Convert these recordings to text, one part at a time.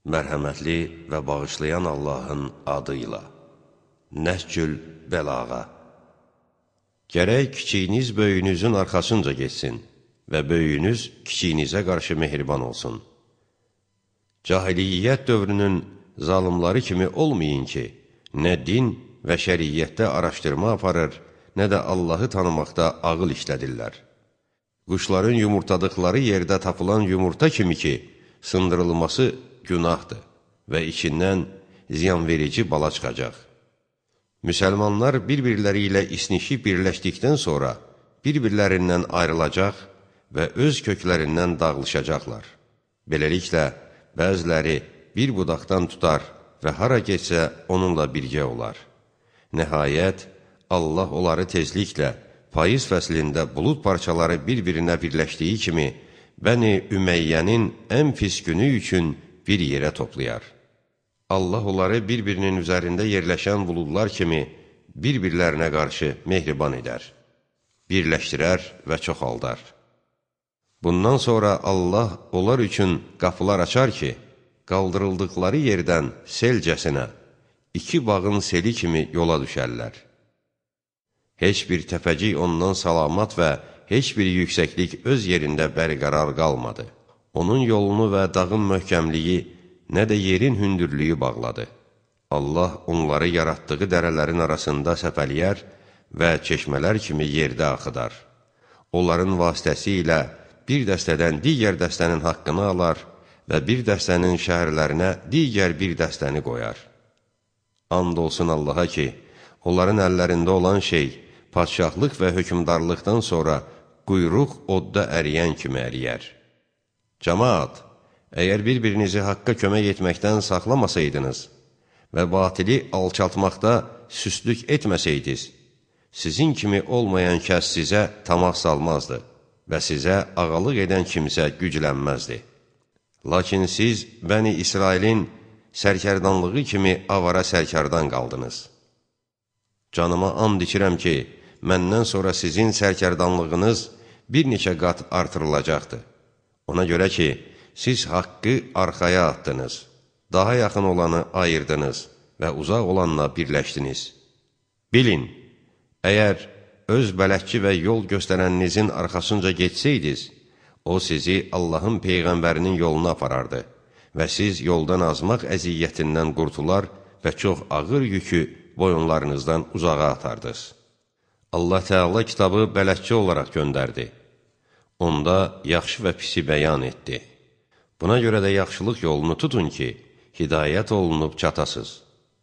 Mərhəmətli və bağışlayan Allahın adıyla. Nəhcül Bəlağa. Gərək kiçiyiniz böyüyünüzün arxasınca geçsin və böyüyünüz kiçiyinizə qarşı mehriban olsun. Cahiliyyət dövrünün zalimları kimi olmayın ki, nə din və şəriyyətdə araşdırma aparır, nə də Allahı tanımaqda ağıl işlədirlər. Quşların yumurtadıqları yerdə tapılan yumurta kimi ki, sındırılması günahdır və içindən ziyanverici bala çıxacaq. Müsəlmanlar bir-birləri ilə isnişib birləşdikdən sonra bir-birlərindən ayrılacaq və öz köklərindən dağılışacaqlar. Beləliklə, bəziləri bir budaqdan tutar və hara geçsə onunla birgə olar. Nəhayət, Allah onları tezliklə payız fəslində bulud parçaları bir-birinə birləşdiyi kimi Bəni Üməyyənin ən pis günü üçün bir yerə toplayar. Allah onları bir-birinin üzərində yerləşən buludlar kimi bir-birlərinə qarşı mehriban edər, birləşdirər və çoxaldar. Bundan sonra Allah onlar üçün qapılar açar ki, qaldırıldıqları yerdən selcəsinə, iki bağın seli kimi yola düşərlər. Heç bir təpəcik ondan salamat və heç bir yüksəklik öz yerində bərqərar qalmadı. Onun yolunu və dağın möhkəmliyi, nə də yerin hündürlüyü bağladı. Allah onları yaratdığı dərələrin arasında səpəliyər və çeşmələr kimi yerdə axıdar. Onların vasitəsilə bir dəstədən digər dəstənin haqqını alar və bir dəstənin şəhərlərinə digər bir dəstəni qoyar. And olsun Allaha ki, onların əllərində olan şey, padşahlıq və hökmdarlıqdan sonra quyruq odda əriyən kimi əriyər. Cəmaat, əgər bir-birinizi haqqa kömək etməkdən saxlamasaydınız və batili alçaltmaqda süstlük etməsəydiniz, sizin kimi olmayan kəs sizə tamah salmazdı və sizə ağalıq edən kimsə güclənməzdi. Lakin siz Bəni İsrailin sərkərdanlığı kimi avara sərkərdan qaldınız. Canıma and içirəm ki, məndən sonra sizin sərkərdanlığınız bir neçə qat artırılacaqdır. Ona görə ki, siz haqqı arxaya atdınız, daha yaxın olanı ayırdınız və uzaq olanla birləşdiniz. Bilin, əgər öz bələdçi və yol göstərəninizin arxasınca geçsəydiniz, o sizi Allahın Peyğəmbərinin yoluna aparardı və siz yoldan azmaq əziyyətindən qurtular və çox ağır yükü boyunlarınızdan uzağa atardınız. Allah Teala kitabı bələdçi olaraq göndərdi. Onda yaxşı və pisi bəyan etdi. Buna görə də yaxşılıq yolunu tutun ki, hidayət olunub çatasız.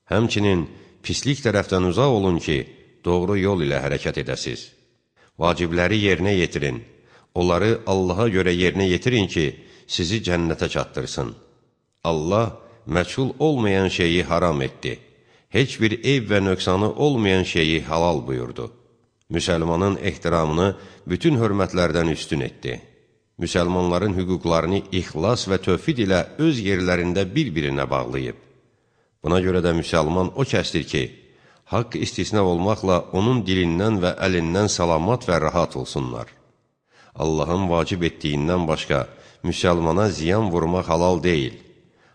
Həmçinin pislik tərəfdən uzaq olun ki, doğru yol ilə hərəkət edəsiz. Vacibləri yerinə yetirin. Onları Allaha görə yerinə yetirin ki, sizi cənnətə çatdırsın. Allah məchul olmayan şeyi haram etdi. Heç bir eyb və nöqsanı olmayan şeyi halal buyurdu. Müsəlmanın ehtiramını bütün hörmətlərdən üstün etdi. Müsəlmanların hüquqlarını ixlas və tövhid ilə öz yerlərində bir-birinə bağlayıb. Buna görə də müsəlman o kəsdir ki, haqq istisna olmaqla onun dilindən və əlindən salamat və rahat olsunlar. Allahın vacib etdiyindən başqa müsəlmana ziyan vurmaq halal deyil.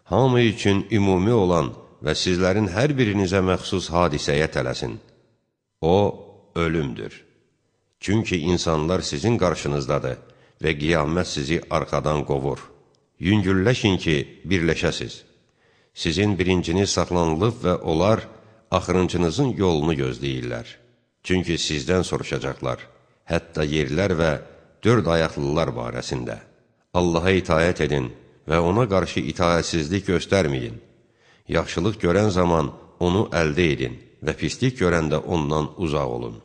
Hamı üçün ümumi olan və sizlərin hər birinizə məxsus hadisəyə tələsin. O, ölümdür. Çünki insanlar sizin qarşınızdadır və qiyamət sizi arxadan qovur. Yüngülləşin ki, birləşəsiz. Sizin birinciniz saxlanılıb və onlar axırıncınızın yolunu gözləyirlər. Çünki sizdən soruşacaqlar, hətta yerlər və dörd ayaqlılar barəsində. Allaha itayət edin və ona qarşı itayətsizlik göstərməyin. Yaxşılıq görən zaman onu əldə edin və pislik görəndə ondan uzaq olun.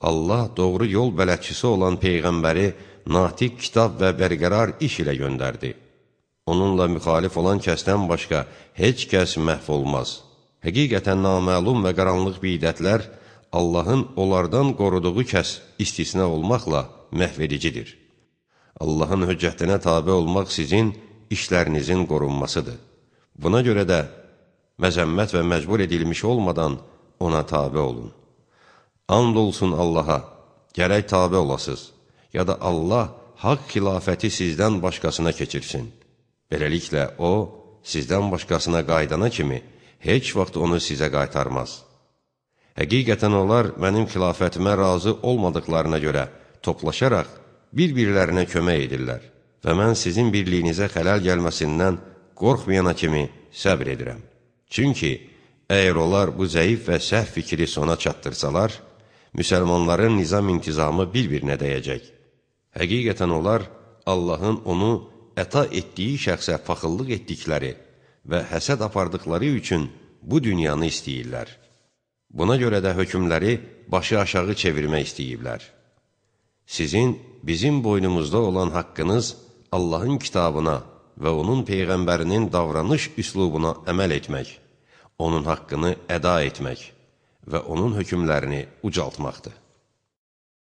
Allah doğru yol bələdçisi olan Peyğəmbəri natiq kitab və bərqərar iş ilə göndərdi. Onunla müxalif olan kəsdən başqa heç kəs məhv olmaz. Həqiqətən naməlum və qaranlıq bidətlər Allahın onlardan qoruduğu kəs istisna olmaqla məhvedicidir. Allahın höccətinə tabe olmaq sizin işlərinizin qorunmasıdır. Buna görə də məzəmmət və məcbur edilmiş olmadan ona tabe olun. And olsun Allaha, gərək tabe olasız, ya da Allah haqq xilafəti sizdən başqasına keçirsin. Beləliklə, o, sizdən başqasına qaydana kimi heç vaxt onu sizə qaytarmaz. Həqiqətən onlar mənim xilafətimə razı olmadıqlarına görə toplaşaraq bir-birlərinə kömək edirlər və mən sizin birliyinizə xələl gəlməsindən qorxmayana kimi səbr edirəm. Çünki əgər onlar bu zəif və səhv fikri sona çatdırsalar, müsəlmanların nizam-intizamı bir-birinə dəyəcək. Həqiqətən onlar Allahın onu əta etdiyi şəxsə paxıllıq etdikləri və həsəd apardıqları üçün bu dünyanı istəyirlər. Buna görə də hökmləri başı aşağı çevirmək istəyiblər. Sizin bizim boynumuzda olan haqqınız Allahın kitabına və onun Peyğəmbərinin davranış üslubuna əməl etmək, onun haqqını əda etmək və onun hökmlərini ucaltmaqdır.